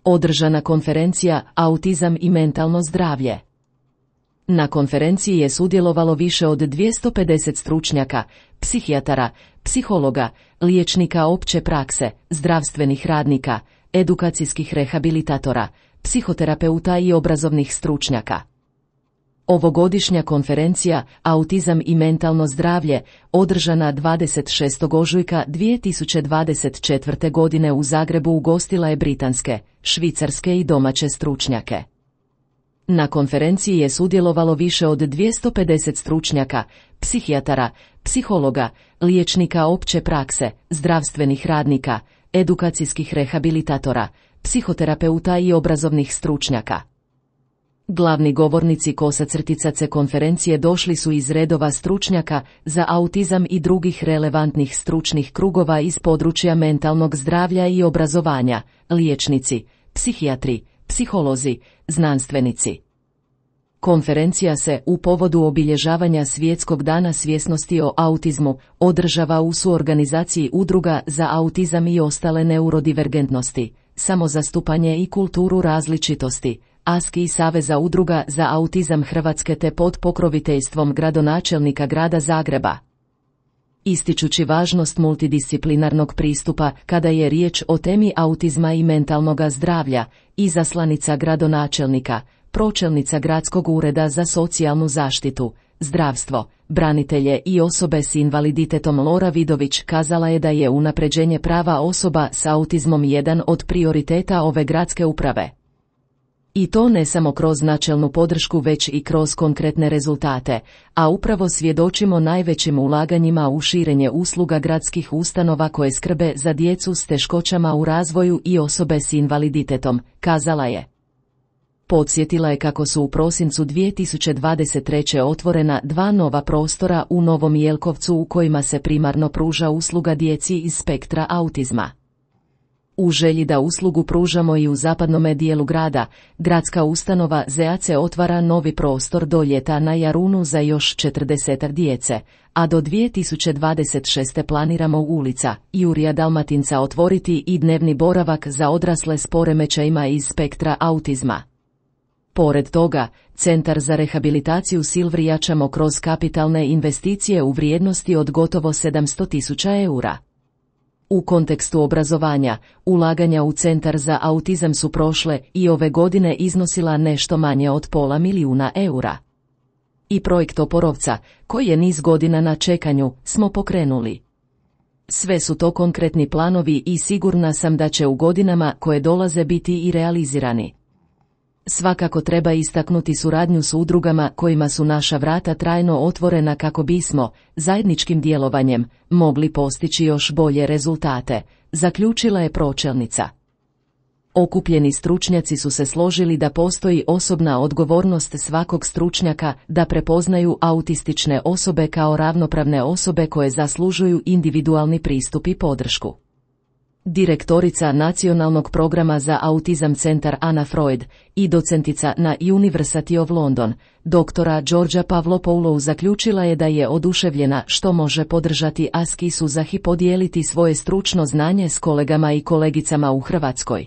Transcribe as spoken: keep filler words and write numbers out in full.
održana konferencija Autizam i mentalno zdravlje. Na konferenciji je sudjelovalo više od dvjesto pedeset stručnjaka, psihijatara, psihologa, liječnika opće prakse, zdravstvenih radnika, edukacijskih rehabilitatora, psihoterapeuta i obrazovnih stručnjaka. Ovogodišnja konferencija Autizam i mentalno zdravlje, održana dvadeset šestog ožujka dvije tisuće dvadeset četvrte. godine u Zagrebu, ugostila je britanske, švicarske i domaće stručnjake. Na konferenciji je sudjelovalo više od dvjesto pedeset stručnjaka, psihijatara, psihologa, liječnika opće prakse, zdravstvenih radnika, edukacijskih rehabilitatora, psihoterapeuta i obrazovnih stručnjaka. Glavni govornici kosacrticace konferencije došli su iz redova stručnjaka za autizam i drugih relevantnih stručnih krugova iz područja mentalnog zdravlja i obrazovanja, liječnici, psihijatri, psiholozi, znanstvenici. Konferencija se, u povodu obilježavanja Svjetskog dana svjesnosti o autizmu, održava u suorganizaciji Udruga za autizam i ostale neurodivergentnosti, samozastupanje i kulturu različitosti, A S K I i Saveza udruga za autizam Hrvatske te pod pokroviteljstvom gradonačelnika grada Zagreba. Ističući važnost multidisciplinarnog pristupa kada je riječ o temi autizma i mentalnoga zdravlja, izaslanica gradonačelnika, pročelnica Gradskog ureda za socijalnu zaštitu, zdravstvo, branitelje i osobe s invaliditetom Lora Vidović kazala je da je unapređenje prava osoba s autizmom jedan od prioriteta ove gradske uprave. I to ne samo kroz načelnu podršku već i kroz konkretne rezultate, a upravo svjedočimo najvećim ulaganjima u širenje usluga gradskih ustanova koje skrbe za djecu s teškoćama u razvoju i osobe s invaliditetom, kazala je. Podsjetila je kako su u prosincu dvije tisuće dvadeset treće. otvorena dva nova prostora u Novom Jelkovcu u kojima se primarno pruža usluga djeci iz spektra autizma. U želji da uslugu pružamo i u zapadnome dijelu grada, gradska ustanova Z A C otvara novi prostor do ljeta na Jarunu za još četrdesetak djece, a do dvije tisuće dvadeset šeste. planiramo ulica Jurija Dalmatinca otvoriti i dnevni boravak za odrasle s poremećajima iz spektra autizma. Pored toga, Centar za rehabilitaciju Silvri jačamo kroz kapitalne investicije u vrijednosti od gotovo sedamsto tisuća eura. U kontekstu obrazovanja, ulaganja u Centar za autizam su prošle i ove godine iznosila nešto manje od pola milijuna eura. I projekt Oporovca, koji je niz godina na čekanju, smo pokrenuli. Sve su to konkretni planovi i sigurna sam da će u godinama koje dolaze biti i realizirani. Svakako treba istaknuti suradnju s udrugama kojima su naša vrata trajno otvorena kako bismo, zajedničkim djelovanjem, mogli postići još bolje rezultate, zaključila je pročelnica. Okupljeni stručnjaci su se složili da postoji osobna odgovornost svakog stručnjaka da prepoznaju autistične osobe kao ravnopravne osobe koje zaslužuju individualni pristup i podršku. Direktorica Nacionalnog programa za autizam Centar Anna Freud i docentica na University of London, doktora Đorđa Pavlopoulou zaključila je da je oduševljena što može podržati A S K I Suzah i podijeliti svoje stručno znanje s kolegama i kolegicama u Hrvatskoj.